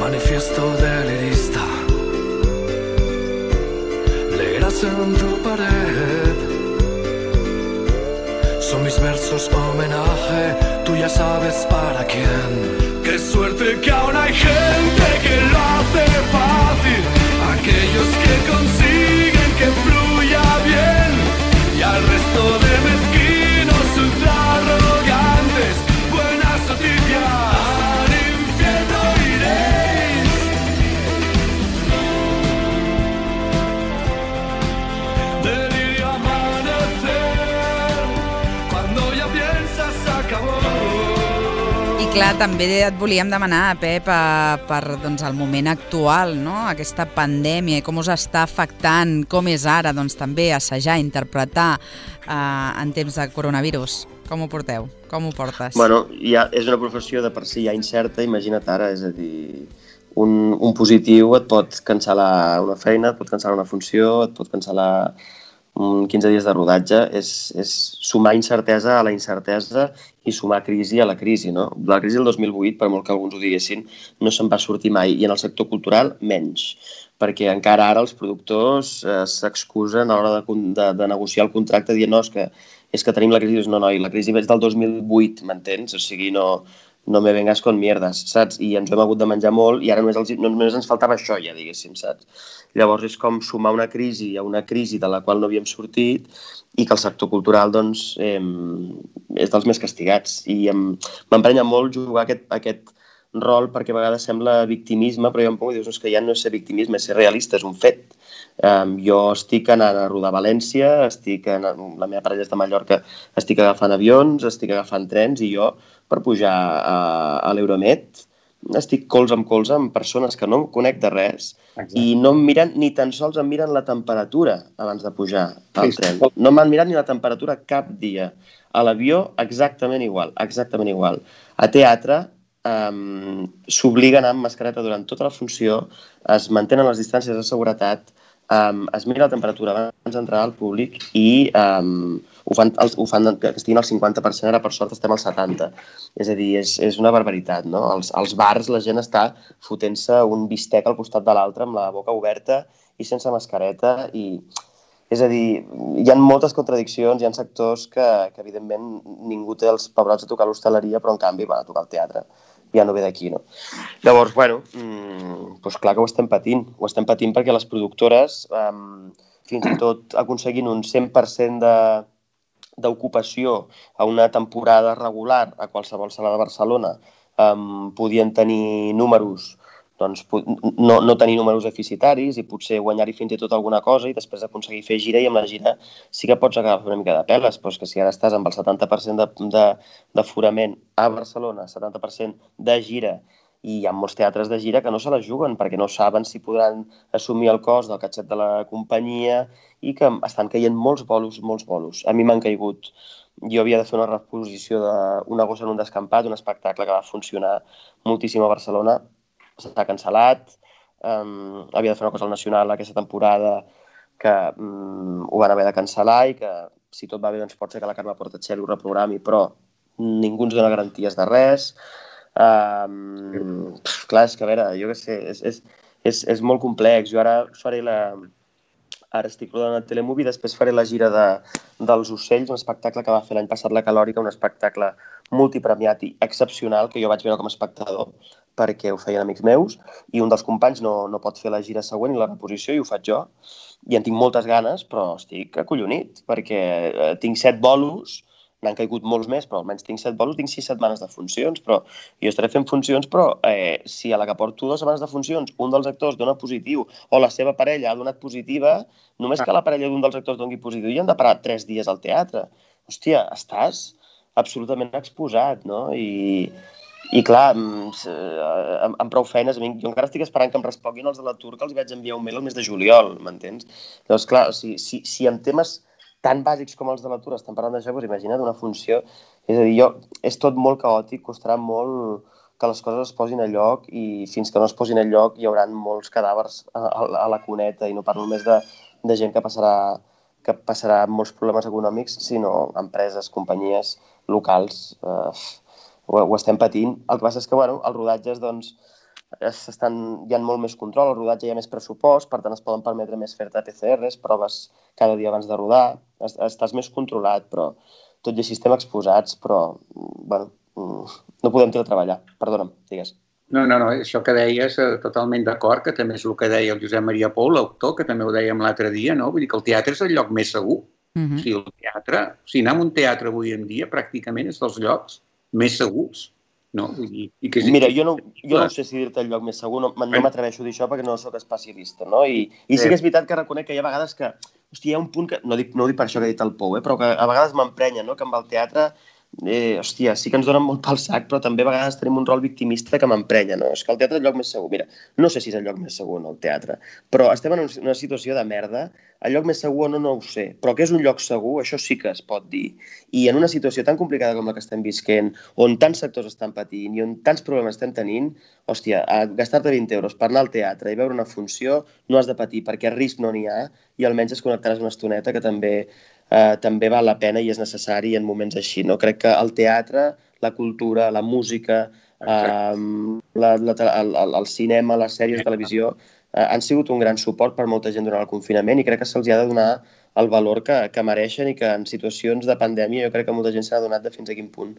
Manifiesto delirista, leerás en tu pared. Son mis versos homenaje, tú ya sabes para quién. Qué suerte que aún hay gente que lo hace fácil, aquellos que consiguen que fluya bien, y al resto de mezquinos ultra arrogantes, buenas noticias. Clar, també et volíem demanar, Pep, per el moment actual, no? Aquesta pandèmia, com us està afectant, com és ara també assajar, interpretar en temps de coronavirus. Com ho porteu? Com ho portes? Bueno, és una professió de per si ja incerta, imagina't ara, és a dir, un positiu et pot cancel·lar una feina, et pot cancel·lar una funció, et pot cancel·lar 15 dies de rodatge, és sumar incertesa a la incertesa i sumar crisi a la crisi, no? La crisi del 2008, per molt que alguns ho diguessin, no se'n va sortir mai, i en el sector cultural menys, perquè encara ara els productors s'excusen a l'hora de negociar el contracte dient no, és que tenim la crisi. No, i la crisi és del 2008, m'entens? O sigui, no me vengas con mierdes, saps? I ens ho hem hagut de menjar molt i ara només ens faltava això, ja diguéssim, saps? Llavors és com sumar una crisi a una crisi de la qual no havíem sortit i que el sector cultural doncs, és dels més castigats. I m'emprenya molt jugar aquest rol perquè a vegades sembla victimisme, però jo em pongo i dius que ja no és ser victimisme, és ser realista, és un fet. Jo estic anant a rodar a València, la meva parella és de Mallorca, estic agafant avions, estic agafant trens i jo per pujar a l'Euromed estic colze amb persones que no em conec de res. Exacte. I no em miren, ni tan sols em miren la temperatura abans de pujar al tren. No m'han mirat ni la temperatura cap dia. A l'avió exactament igual, exactament igual. A teatre s'obliguen a anar amb mascareta durant tota la funció, es mantenen les distàncies de seguretat, es mira la temperatura abans d'entrar al públic i ho fan que estiguin al 50%, ara per sort estem al 70%. És a dir, és una barbaritat, no? Als bars la gent està fotent-se un bistec al costat de l'altre amb la boca oberta i sense mascareta. És a dir, hi ha moltes contradiccions, hi ha sectors que evidentment ningú té els pebrots de tocar l'hostaleria, però en canvi van a tocar el teatre. Ja no ve d'aquí, no? Llavors, bueno, doncs clar que ho estem patint perquè les productores, fins i tot aconseguint un 100% d'ocupació a una temporada regular a qualsevol sala de Barcelona, podien tenir números, doncs no tenir números deficitaris i potser guanyar-hi fins i tot alguna cosa i després aconseguir fer gira, i amb la gira sí que pots agafar una mica de peles, però és que si ara estàs amb el 70% d'aforament a Barcelona, 70% de gira i hi ha molts teatres de gira que no se la juguen perquè no saben si podran assumir el cost del catxet de la companyia i que estan caient molts bolos. A mi m'han caigut. Jo havia de fer una reposició d'Una gossa en un descampat, un espectacle que va funcionar moltíssim a Barcelona. S'ha cancel·lat. Havia de fer una cosa al Nacional aquesta temporada que ho van haver de cancel·lar i que, si tot va bé, doncs pot ser que la Carme Portacelli ho reprogrami, però ningú ens dona garanties de res. Clar, és que a veure, jo què sé, és molt complex. Jo ara estic rodant a Telemovie, després faré la gira dels Ocells, un espectacle que va fer l'any passat la Calòrica, un espectacle multipremiat i excepcional que jo vaig veure com a espectador perquè ho feien amics meus, i un dels companys no pot fer la gira següent i la reposició i ho faig jo, i en tinc moltes ganes, però estic acollonit perquè tinc 7 bolos. N'han caigut molts més, però almenys tinc 7 bolos, tinc 6 setmanes de funcions, però jo estaré fent funcions, però si a la que porto 2 setmanes de funcions un dels actors dona positiu o la seva parella ha donat positiva, només que la parella d'un dels actors doni positiu i han de parar 3 dies al teatre. Hòstia, estàs absolutament exposat, no? I clar, amb prou feines, jo encara estic esperant que em responguin els de l'atur, que els vaig enviar un mail el mes de juliol, m'entens? Llavors, clar, si en temes tan bàsics com els de l'atur estan parlant d'això, doncs imagina't una funció. És a dir, és tot molt caòtic, costarà molt que les coses es posin a lloc i fins que no es posin a lloc hi haurà molts cadàvers a la cuneta i no parlo només de gent que passarà molts problemes econòmics, sinó empreses, companyies locals, ho estem patint. El que passa és que, bueno, els rodatges, doncs, hi ha molt més control, al rodatge hi ha més pressupost, per tant es poden permetre més fer-te PCRs, proves cada dia abans de rodar, estàs més controlat, però tot i així estem exposats, però, bueno, no podem treballar. Perdona'm, digues. No, això que deies, totalment d'acord, que també és el que deia el Josep Maria Pou, l'autor, que també ho dèiem l'altre dia, no? Vull dir que el teatre és el lloc més segur. O sigui, el teatre, anar a un teatre avui en dia pràcticament és dels llocs més segurs. No? Mira, jo no sé si dir-te el lloc més segur, no m'atreveixo a dir això perquè no soc especialista, no? I sí que és veritat que reconec que hi ha vegades que, hòstia, hi ha un punt que, no dic per això que ha dit el Pou, però que a vegades m'emprenya, no? Que amb el teatre, hòstia, sí que ens donen molt pel sac, però també a vegades tenim un rol victimista que m'emprenya, no? És que el teatre és el lloc més segur. Mira, no sé si és el lloc més segur, no, el teatre, però estem en una situació de merda. El lloc més segur no ho sé, però que és un lloc segur, això sí que es pot dir. I en una situació tan complicada com la que estem visquent, on tants sectors estan patint i on tants problemes estem tenint, hòstia, gastar-te 20 euros per anar al teatre i veure una funció no has de patir perquè risc no n'hi ha i almenys es connectaràs una estoneta que també val la pena i és necessari en moments així, no? Crec que el teatre, la cultura, la música, el cinema, les sèries de televisió han sigut un gran suport per molta gent durant el confinament i crec que se'ls ha de donar el valor que mereixen i que en situacions de pandèmia jo crec que molta gent s'ha adonat de fins a quin punt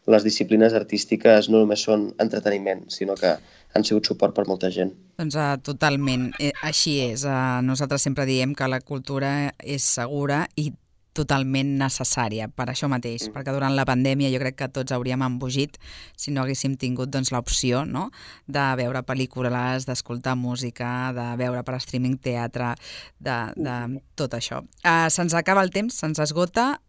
les disciplines artístiques no només són entreteniment, sinó que han sigut suport per molta gent. Doncs totalment, així és. Nosaltres sempre diem que la cultura és segura i totalment necessària per això mateix, perquè durant la pandèmia jo crec que tots hauríem embogit si no haguéssim tingut l'opció, no?, de veure pel·lícules, d'escoltar música, de veure per streaming teatre, de tot això. Se'ns acaba el temps, se'ns esgota.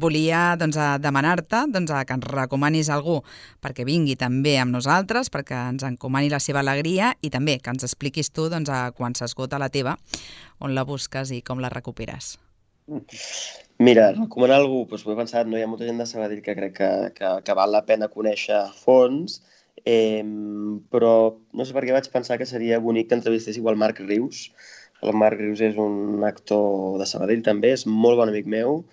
Volia demanar-te que ens recomanis algú perquè vingui també amb nosaltres, perquè ens encomani la seva alegria i també que ens expliquis tu quan s'esgota la teva, on la busques i com la recuperes. Mira, recomanar algú, doncs ho he pensat, no? Hi ha molta gent de Sabadell que crec que val la pena conèixer a fons, però no sé per què vaig pensar que seria bonic que entrevistéssiu el Marc Rius. El Marc Rius és un actor de Sabadell també, és molt bon amic meu.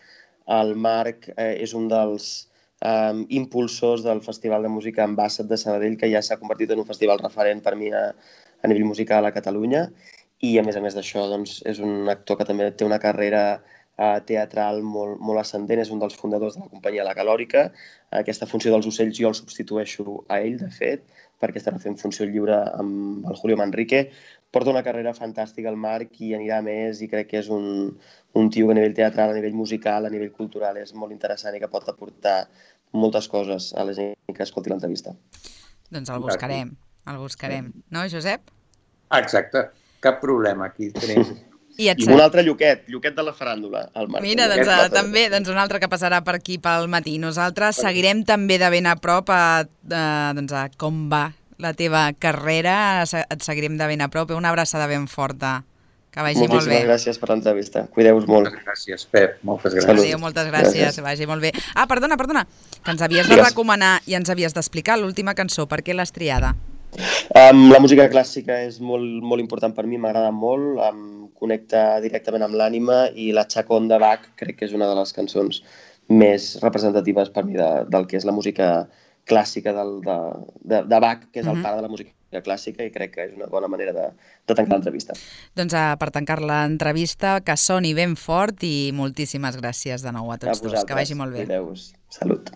El Marc és un dels impulsors del Festival de Música Ambassat de Sabadell, que ja s'ha convertit en un festival referent per mi a nivell musical a Catalunya. I a més d'això doncs, és un actor que també té una carrera teatral molt ascendent, és un dels fundadors de la companyia La Calòrica. Aquesta funció dels ocells jo el substitueixo a ell, de fet, perquè estarà fent funció lliure amb el Julio Manrique. Porta una carrera fantàstica al Marc i anirà més i crec que és un tio que a nivell teatral, a nivell musical, a nivell cultural és molt interessant i que pot aportar moltes coses a la gent que escolti l'entrevista. Doncs el buscarem. No, Josep? Exacte, cap problema, aquí tenim. I un altre Lluquet de la faràndula, el Marc. Mira, també un altre que passarà per aquí pel matí. Nosaltres seguirem també de ben a prop a com va la teva carrera, et seguirem de ben a prop. Una abraçada ben forta. Que vagi molt bé. Moltíssimes gràcies per l'entrevista. Cuideu-vos molt. Gràcies, Pep. Moltes gràcies. Adéu, moltes gràcies. Vagi molt bé. Ah, perdona, que ens havies de recomanar i ens havies d'explicar l'última cançó. Per què l'has triada? La música clàssica és molt important per mi, m'agrada molt, em connecta directament amb l'ànima i la Chaconda de Bach crec que és una de les cançons més representatives per mi del que és la música clàssica de Bach, que és el pare de la música clàssica, i crec que és una bona manera de tancar l'entrevista. Doncs per tancar l'entrevista, que soni ben fort i moltíssimes gràcies de nou a tots dos. Que vagi molt bé. Cuideu-vos. Salut.